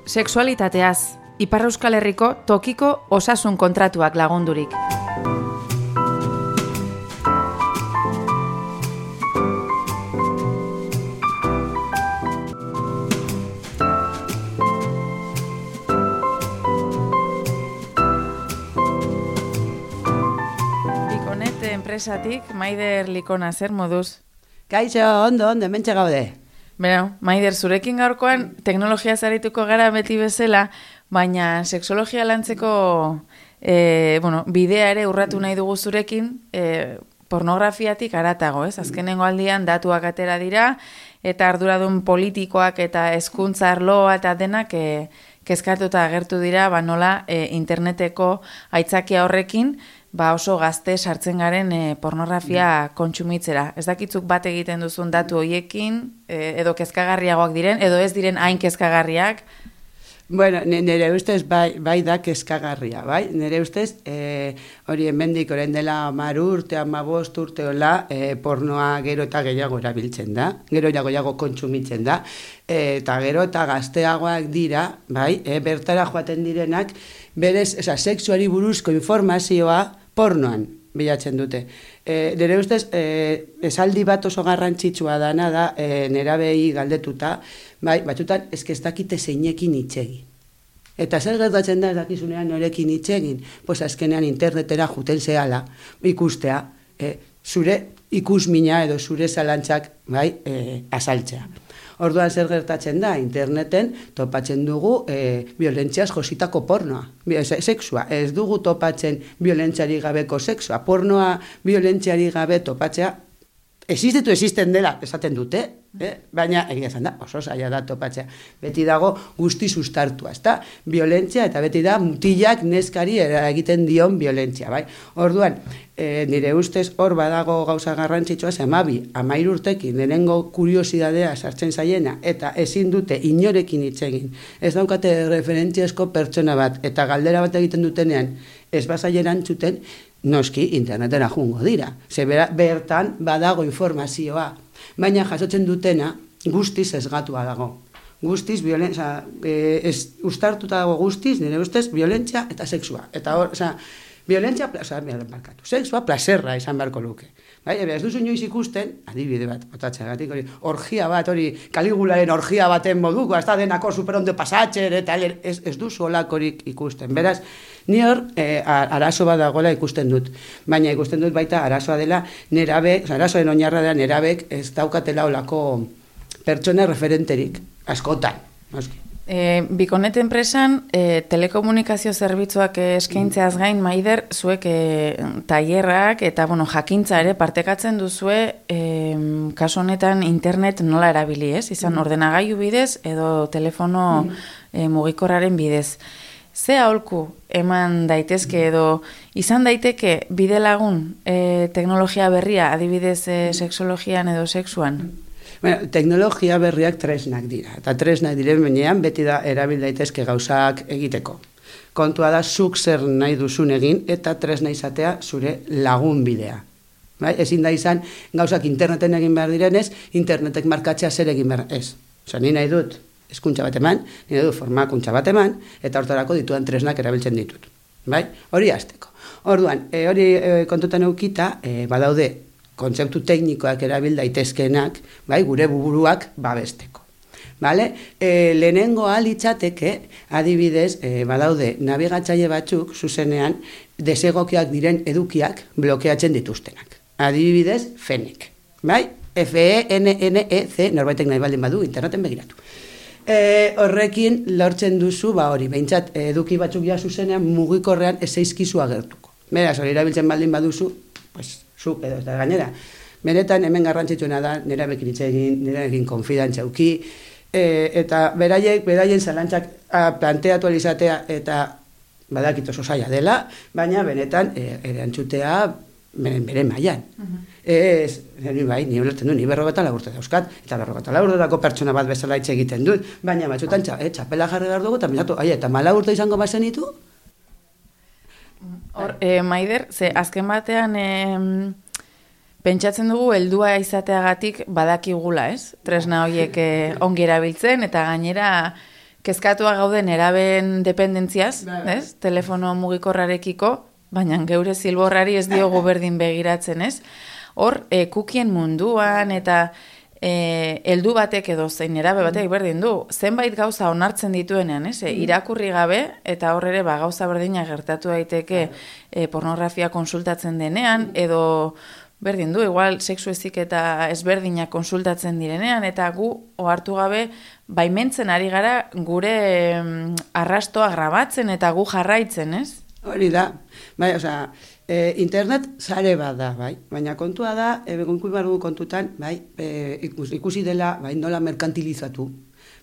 Sexualitateaz, Ipar Euskal Herriko tokiko osasun kontratuak lagundurik. Likonet enpresatik, Maider Likona, zer moduz? Kaixo, ondo, hementxe gaude. Beno, Maider, zurekin gaurkoan teknologia zarituko gara beti bezala, baina sexologia lantzeko bidea ere urratu nahi dugu zurekin, pornografiatik haratago, ez? Azkenengo aldian datuak atera dira, eta arduradun politikoak eta hezkuntza arloa eta denak kezkatuta agertu dira, nola interneteko aitzakia horrekin, oso gazte sartzen garen pornografia kontsumitzera. Ez dakitzuk bat egiten duzun datu hoiekin, edo kezkagarriagoak diren, edo ez diren hain kezkagarriak? Bueno, nire ustez bai da kezkagarria, bai? Nire ustez, hori hemendik orain dela 10 urte, 15 urte hola, pornoa gero eta gehiago erabiltzen da, gero gehiago kontsumitzen da, eta gero eta gazteagoak dira, bai? Bertara joaten direnak, berez, sexuari buruzko informazioa pornoan bilatzen dute. Nire ustez, esaldi bat oso garrantzitsua dana da, nerabei galdetuta, bai, batzutan, ez dakite zeinekin itxegin. Eta zer gertatzen da ez dakizunean norekin itxegin? Pues azkenean internetera juten zehala, ikustea, zure ikusmina edo zure zalantzak, bai, azaltzea. Orduan zer gertatzen da, interneten topatzen dugu violentziaz jositako pornoa, sexua. Ez dugu topatzen violentziari gabeko sexua. Pornoa violentziari gabe topatzea, existen dela, esaten dute, baina egia esan da, oso zaila da topatzea. Beti dago guzti sustartua, ezta? Violentzia eta beti da mutilak neskari egiten dion violentzia, bai? Orduan, nire ustez hor badago gauza garrantzitsua, 13 urtekin lehenengo kuriosidadea sartzen zaiena eta ezin dute inorekin hitz egin. Ez daukate referentziazko pertsona bat eta galdera bat egiten dutenean ez bazaieran txuten, noski internetera jungo dira. Bertan badago informazioa, baina jasotzen dutena guztiz ezgatua dago. Guztiz, ustartuta dago guztiz, nire ustez, violentzia eta sexua. Eta hor, violentzia, sexua, plazerra izan beharko luke. Bai, ez duzu inoiz ikusten, adibide bat, botatxeagatik, orgia bat, Kaligularen orgia baten moduko, ez da denako superondo pasatxer, eta ez duzu olakorik ikusten. Beraz, ni hor, arazo bat dagoela ikusten dut. Baina ikusten dut baita arazoa dela nerabe, arazoen oinarra dela nerabek ez daukatela olako pertsona referenterik, askotan. Bikonet enpresan, telekomunikazio zerbitzuak eskaintzeaz gain, Maider, zuek tailerrak eta jakintza ere partekatzen duzue kasu honetan internet nola erabili, ez? Izan ordenagailu bidez edo telefono mugikorraren bidez. Ze aholku eman daitezke edo izan daiteke bide lagun teknologia berria, adibidez sexologian edo sexuan? Bueno, teknologia berriak tresnak dira, eta tresnak diren benean beti da erabil daitezke gauzak egiteko. Kontua da zuk zer nahi duzun egin eta tresna izatea zure lagun bidea. Ezin da izan gauzak interneten egin behar direnez, internetek markatzea zer egin behar ez. Ni nahi dut hezkuntza bat eman, ni nahi dut formakuntza bat eman, eta hortarako ditudan tresnak erabiltzen ditut. Hori hasteko. Orduan, hori kontutan eukita, badaude kontzeptu teknikoak erabil daitezkeenak, gure buruak babesteko. Lehenengo litzateke, adibidez, badaude nabigatzaile batzuk, zuzenean, desegokiak diren edukiak blokeatzen dituztenak. Adibidez, FENEC. FENNEC, norbaitek nahi baldin badu, interneten begiratu. Horrekin lortzen duzu, behintzat eduki batzuk ja zuzenean mugikorrean ez zaizkizu agertuko. Beraz, hori erabiltzen baldin baduzu, zuk edo ez da gainera. Benetan hemen garrantzitsuena da nerabekin hitz egin, nerabekin konfidantza eduki, eta beraien zalantzak planteatu alizatea eta badakit oso zaila dela, baina benetan erantzutea bere mailan. Ni ulertzen du, ni 54 urte dauzkat, eta 54 urtetako pertsona bat bezala hitz egiten dut, baina batzutan txapela jarri behar dugu, eta 14 urte izango bazenitu? Maider, ze azken batean pentsatzen dugu heldua izateagatik badakigula, ez? Tresna horiek ongi erabiltzen eta gainera kezkatua gauden eraben dependentziaz, ez? Telefono mugikorrarekiko, baina geure zilborrari ez diogu berdin begiratzen, ez? Hor, kukien munduan eta heldu batek edo zein erabe batek berdin du, zenbait gauza onartzen dituenean, ez? Irakurri gabe, eta hor ere gauza berdina gertatu daiteke pornografia konsultatzen denean, edo berdin du, igual sexu ezik eta ezberdinak konsultatzen direnean, eta gu ohartu gabe baimentzen ari gara gure arrastoa grabatzen eta gu jarraitzen, ez? Hori da, bai, osea, internet sare bat da, bai, baina kontua da, kontutan, bai, ikusi dela, bai, nola merkantilizatu,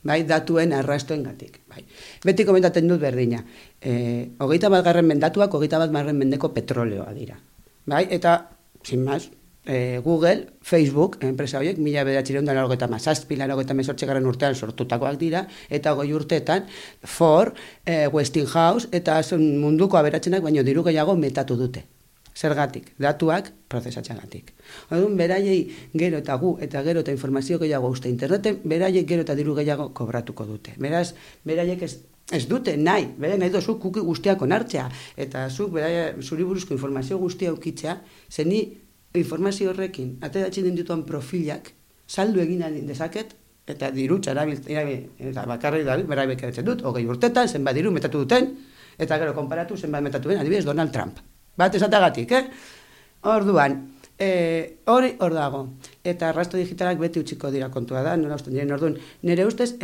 bai, datuen arrastoengatik, bai. Beti komentatzen dut berdina, 21. mendatuak 21. mendeko petroleoa dira, bai, eta, sin más, Google, Facebook, enpresa horiek, 1997 urtean sortutakoak dira, eta 20 urteetan Ford, Westinghouse, eta munduko aberatzenak baino diru gehiago metatu dute. Zergatik, datuak prozesatxagatik. Orduan, beraiei gero eta gu, eta gero eta informazio gehiago uste interneten, beraiek gero eta diru gehiago kobratuko dute. Beraz, beraiek ez dute nahi, nahi dozu kuki guztiak onartzea, eta zuri buruzko informazio guztia ukitzea, zeni informazio horrekin, ateratzen den dituan profilak, saldu egin dezaket, eta dirutza eta bakarrik dabil, berabek edatzen dut, 20 urtetan, zenbat diru metatu duten, eta gero konparatu zenbat metatu den, adibidez Donald Trump. Bat esatagatik, Orduan, hori hor dago, eta arrasto digitalak beti utziko dira kontua da, nola usten diren, orduan, nire ustez,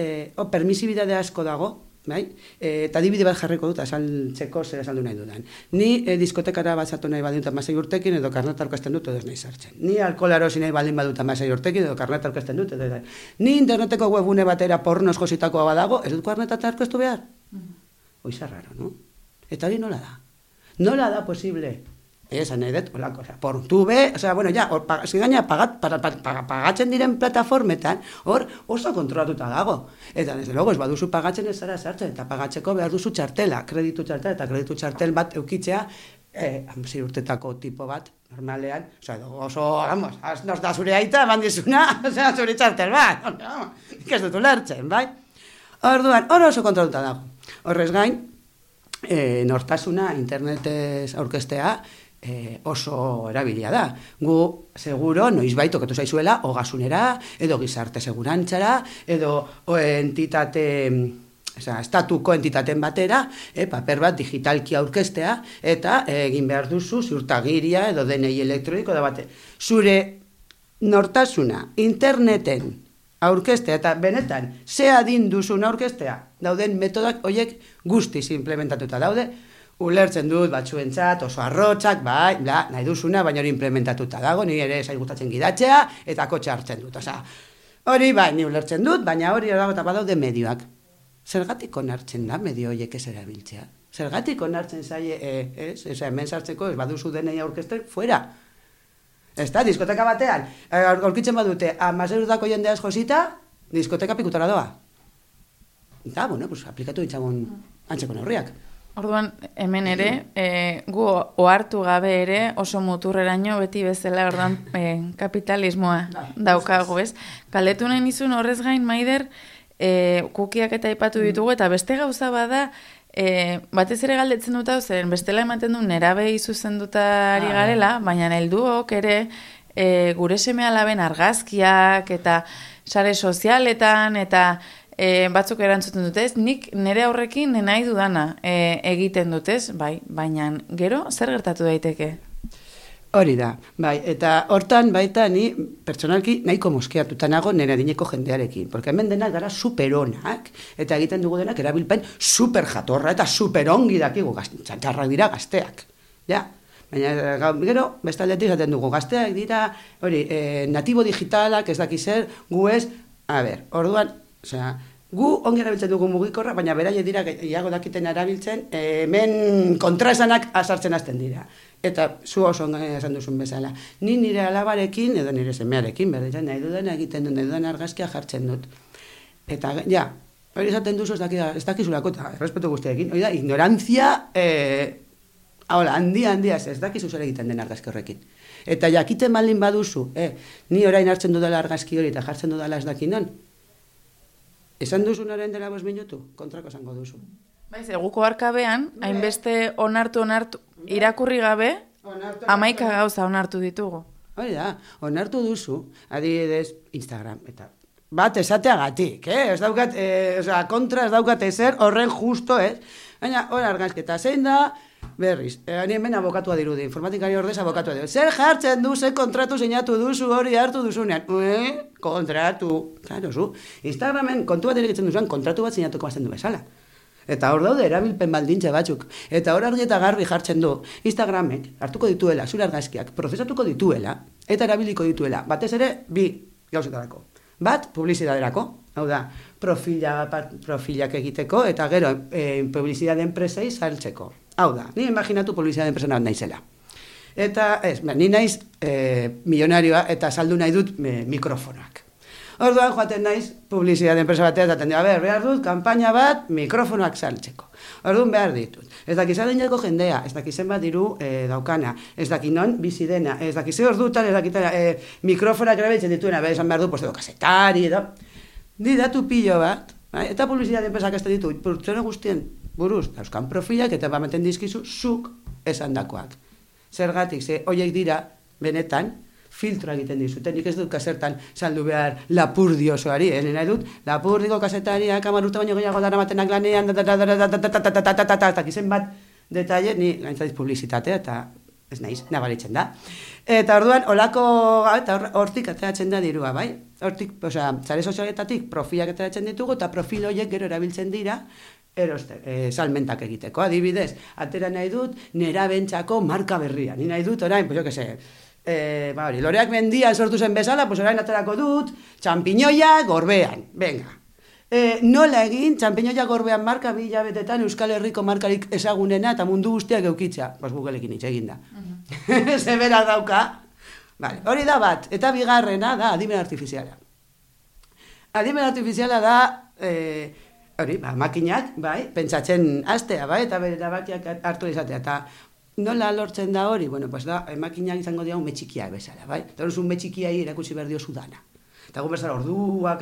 permisibidade asko dago, bai? Eta adibide bat jarriko dut, azaltzeko zer azaldu nahi dudan. Ni diskotekara batzatu nahi baldin 16 urtekin, edo karneta aurkezten dut, edo ez nahi sartzen. Ni alkohola erosi nahi baldin badut 16 urtekin, edo karneta aurkezten dut, edo ez. Ni interneteko webgune batera pornoz jositakoa badago, ez dut karneta aurkeztu behar? Oiza raro, no? Eta hori nola da? Nola da posible? Esan nahi dut, olako, portube, bueno, ja, gaina pagatzen diren plataformetan, hor oso kontrolatuta dago. Eta, desde logo, ez baduzu pagatzen ez zara sartzen, eta pagatzeko behar duzu txartela, kreditu txartela, eta kreditu txartel bat eukitzea, 6 urtetako tipo bat, normalean, oso, vamos, nos da zure aita, bandizuna, zure txartel bat, ez dut ulertzen, bai? Orduan, hor oso kontrolatuta dago. Horrez gain, nortasuna internetez aurkeztea, oso erabilia da. Gu, seguro, noizbait okatu zaizuela, ogasunera, edo gizarte segurantzara, edo estatuko entitaten batera, paper bat digitalki aurkeztea, eta egin behar duzu ziurtagiria edo DNI elektroniko da bate. Zure nortasuna interneten aurkeztea, eta benetan, ze adin duzun aurkeztea, dauden metodak horiek guztiz implementatuta daude, ulertzen dut batzuentzat, oso arrotzak, bai, nahi duzuna, baina hori implementatuta dago, ni ere zai gustatzen gidatzea, eta kotxe hartzen dut. Hori bai, ni ulertzen dut, baina hori dago eta badaude medioak. Zergatik onartzen da medio horiek ez erabiltzea? Zergatik onartzen zaie, hemen sartzeko, ez baduzu denei aurkezten, fuera. Ez da, diskoteka batean, aurkitzen badute, 16 urteko jendeaz josita, diskoteka pikutara doa. Eta, aplikatu ditzagun antzeko neurriak. Orduan, hemen ere, gu ohartu gabe ere oso muturreraino beti bezala orduan kapitalismoa daukagu, ez? Galdetu nahi nizun horrez gain, Maider, kukiak eta aipatu ditugu, eta beste gauza bada, batez ere galdetzen dut hau, zeren bestela ematen du nerabei zuzendutari garela, baina helduok ere gure seme-alaben argazkiak eta sare sozialetan eta batzuk erantzuten dutez, nik nire aurrekin nahi dudana egiten dutez, bai, baina gero zer gertatu daiteke? Hori da, bai, eta hortan baita ni pertsonalki nahiko moskeatuta nago nire adineko jendearekin, porque hemen denak gara superonak, eta egiten dugu denak erabilpen super jatorra eta super ongi dakigu, txarrak dira gazteak, ja. Baina gero, bestaldetik zaten dugu, gazteak dira, hori, natibo digitalak ez daki zer, gu ez, orduan, gu ongi erabiltzen dugu mugikorra, baina beraie dira gehiago dakiten erabiltzen, hemen kontraesanak azartzen hasten dira. Eta zu oso esan duzun bezala. Ni nire alabarekin, edo nire semearekin, berdita nahi dudan egiten dut, nahi dudan argazkia jartzen dut. Eta, ja, hori esaten duzu ez dakizulako, eta errespetu guztiarekin, hori da, ignorantzia, handia, ez dakizu zer egiten den argazki horrekin. Eta jakiten baldin baduzu, ni orain hartzen dudala argazki hori eta jartzen dudala ez dakinon, Esan duzunaren dela 5 minutu, kontrako esango duzu. Baiz, eguko arkabean, hainbeste onartu, irakurri gabe, 11 gauza onartu ditugu. Hori da, onartu duzu, adibidez, Instagram, eta bat esateagatik, ez daukat, kontra ez daukat ezer, horren justo, baina hor argazketa, zein da, berriz, hemen abokatua dirudi, informatikari ordez abokatua dirudi. Zer jartzen du, zer kontratu sinatu duzu hori hartu duzunean? Kontratu. Claro, zu. Instagramen kontu bat egiten duzuan, kontratu bat sinatuko bazten du bezala. Eta hor daude erabilpen baldintza batzuk. Eta hor argi eta garbi jartzen du, Instagramek hartuko dituela, zure argazkiak, prozesatuko dituela, eta erabiliko dituela. Batez ere, 2 gauzetarako. Bat, publizidaderako. Hau da, profilak egiteko, eta gero, publizidade enpresei saltzeko. Hau da, ni imaginatu publizidade enpresa bat naizela. Eta, ni naiz milionarioa eta saldu nahi dut mikrofonoak. Orduan joaten naiz publizidade enpresa batea eta tendea, behar dut, kanpaina bat mikrofonoak saltzeko. Orduan behar ditut. Ez dakiz adineko jendea, ez dakizen bat diru daukana, ez dakiz non bizi dena, ez dakiz ordutan, ez dakiz mikrofonak erabiltzen dituena, behar esan behar du, edo kasetari, edo. Di datu pilo bat, eta publizidade enpresak ez ditu, pertsona guztien buruz, dauzkan profilak eta bamaten dizkizu zuk esandakoak. Zergatik, horiek dira, benetan, filtro egiten dizuten, nik ez dut kasertan saldu behar Lapurdi osoari, nahi dut, Lapurdiko kasetariak 10 urte baino gehiago daramatenak lanean, eta kizen bat detaile, ni gaintzaiz publizitatea, eta ez naiz, nabaritzen da. Eta orduan, olako, eta hortik ateratzen da dirua, bai? Hortik, zare sozialetatik profilak ateratzen ditugu, eta profil horiek gero erabiltzen dira, salmentak egiteko. Adibidez, atera nahi dut, nerabentzako marka berria. Ni nahi dut, orain, pues jo que se, loreak mendian sortu zen bezala, pues orain aterako dut, txampiñoia gorbean, venga. Nola egin, txampiñoia gorbean marka 2 hilabetetan Euskal Herriko markarik ezagunena eta mundu guztiak eukitza. Pues Googleekin hitz egin da. Zebera dauka. Vale, hori da bat, eta bigarrena da adimen artifiziala. Adimen artifiziala da, makinak, pentsatzen astea, eta bere erabakiak hartu izatea, eta nola lortzen da hori? Bueno, pues da, makinak izango dira ume txikia bezala, Eta hori ume txikiai erakutsi behar dio dana. Eta gu bezala orduak,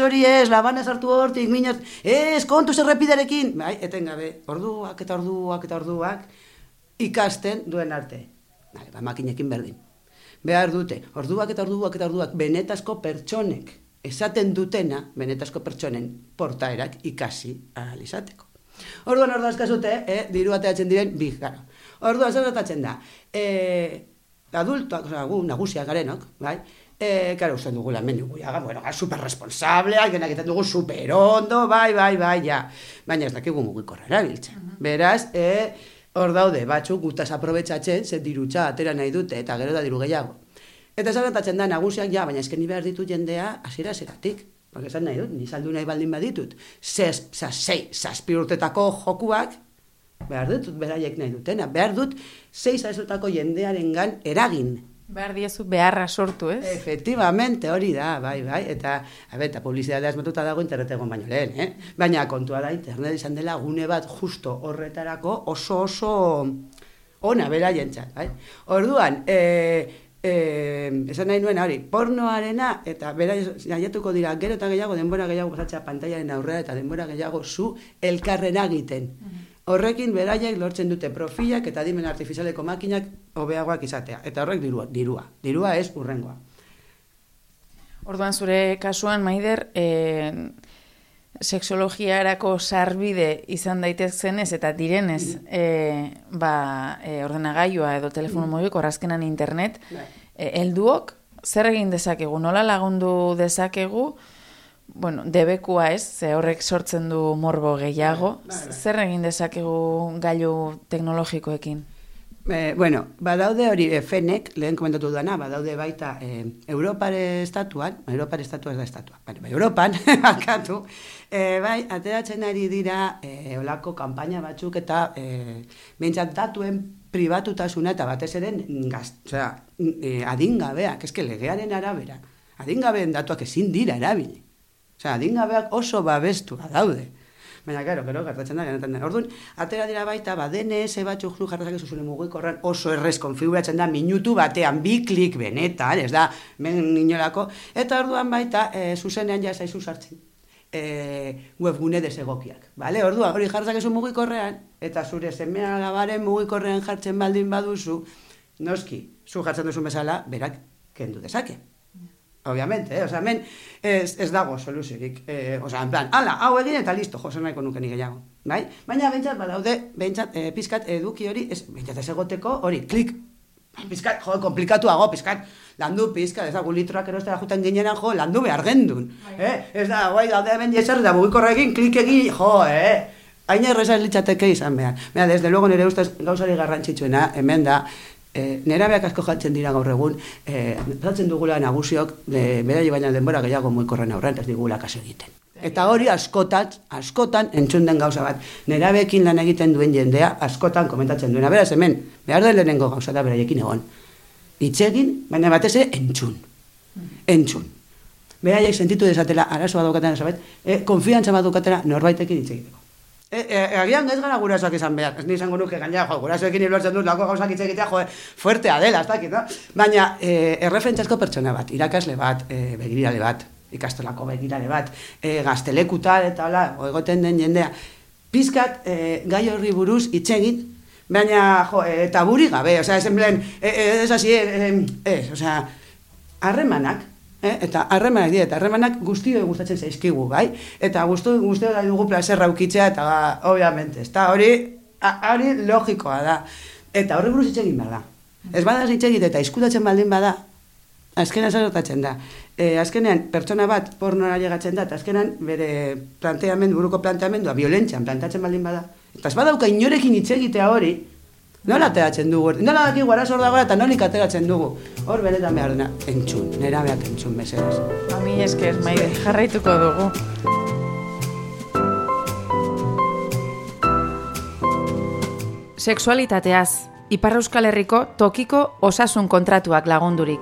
hori ez, labanaz hartu hortik, minaz, kontuz errepiderekin, etengabe, orduak, ikasten duen arte. Makinekin berdin. Behar dute, orduak, benetazko pertsonek, esaten dutena, benetazko pertsonen portaerak ikasi ahal izateko. Orduan askazute, diru ateratzen diren, gara. Orduan zer da, adultoak, gu nagusiak garenok, karo, usten dugu lan mendu guiaga, superresponsableak, egiten dugu superondo, ja. Baina ez dakigu mugikorra erabiltzen. Beraz, hor daude, batzuk gutaz aprobetxatzen, zer dirutza atera nahi dute, eta gero da diru gehiago. Eta zaratatzen da nagusiak, baina esken ni behar ditut jendea hasiera-hasieratik. Porque esan nahi dut, ni saldu nahi baldin baditut, 6 urtetako jokuak, behar dut, beraiek nahi dutena, behar dut 6 urtetako jendearengan eragin. Behar diezu beharra sortu, ez? Efectivamente, hori da, bai, eta publizitatea asmatuta dago internetegon baino lehen, Baina kontua da, internet izan dela gune bat justo horretarako oso ona beraientzat, bai? Orduan, esan nahi nuen hori, pornoarena, eta bera jaiatuko dira gero eta gehiago, denbora gehiago pasatzea pantailaren aurrera, eta denbora gehiago zu elkarren egiten. Horrekin beraiek lortzen dute profilak eta adimen artifizialeko makinak hobeagoak izatea. Eta horrek dirua. Dirua ez urrengoa. Orduan zure kasuan, Maider, sexologiarako sarbide izan daitezenez eta direnez ordenagailua edo telefono mugiko azkenan internet, helduok zer egin dezakegu, nola lagundu dezakegu, debekua ez, ze horrek sortzen du morbo gehiago, zer egin dezakegu gailu teknologikoekin? Badaude hori fenek, lehen komentatu duena, badaude baita Europare estatuan, Europare estatua ez da estatua, Europan, akatu, ateratzen ari dira olako kanpaina batzuk eta behintzat datuen pribatutasuna eta batez ere adingabeak, eske legearen arabera, adingabeen datuak ezin dira erabili. Adingabeak oso babestua daude. Baina, gero, gertatzen da, genetan da. Orduan, atera dira baita, DNS batzuk jarrazak zuzule mugikorran oso errez konfiguratzen da, minutu batean, 2 klik benetan, ez da, inolako, eta orduan baita, zuzenean ja zaizu sartzen. Webgune desegokiak, bale? Orduan, hori jarrazak ezu mugikorrean, eta zure semea alabaren mugikorrean jartzen baldin baduzu, noski, zu jartzen duzu bezala, berak kendu dezake. Obviamente, hemen ez dago soluziorik. En plan, ala, hau egin eta listo, jose nahiko nuke nik gehiago. Bai? Baina behintzat, badaude, pizkat eduki hori, behintzat ez egoteko hori, klik, pizkat, komplikatuago, pizkat, landu pizkat, ez da, litroak erostera juten ginenan, landu behar gendun. Ez da, guai, daude hemen jeser, da mugikorra egin, klik egin, hain erreza litzateke izan behar. Baina, desde luego nire ustez gauzari garrantzitsuena, hemen da, nerabeak asko jantzen dira gaur egun, jantzen dugula nagusiok, beraile baina denbora gehiago mugikorren aurrean, ez digula kaso egiten. Eta hori askotan entzun den gauza bat. Nerabeekin lan egiten duen jendea, askotan komentatzen duena. Beraz, hemen, behar da lehenengo gauza da beraiekin egon. Itzegin, baina batez ere entzun. Beraiek sentitu dezatela, arazoa daukatena, konfiantza bat daukatena norbaitekin itzegiteko. Agian ez gara gurasoak izan behar, ez nizango nuke gaina, gurasoekin iblortzen dut, lako gauzak itzegitea, fuertea dela, ez dakit, no? Baina, erreferentziazko pertsona bat, irakasle bat, begirale bat, ikastolako begirale bat, gaztelekutal eta hola, egoten den jendea, pizkat gai horri buruz itzegin, baina, eta buri gabe, oza, ez hasi, harremanak, eta harremanak guztio gustatzen zaizkigu, bai? Eta guztio da dugu plazerra ukitzea, eta obviamente, hori logikoa da. Eta horri buruz itxegin behar da. Ez bada itxegit eta izkutatzen baldin bada, azkenean zertatzen da. Azkenean pertsona bat pornora llegatzen da, eta azkenean bere buruko planteamendua violentzian plantatzen baldin bada. Eta ez badauka inorekin itxegitea hori, nola ateratzen dugu, nola daki arazo hor dagoela eta nolik ateratzen dugu. Hor benetan behar dena, entzun, nerabeak entzun, mesedez. Mi esker, Maide, jarraituko dugu. Sexualitateaz, Ipar Euskal Herriko tokiko osasun kontratuak lagundurik.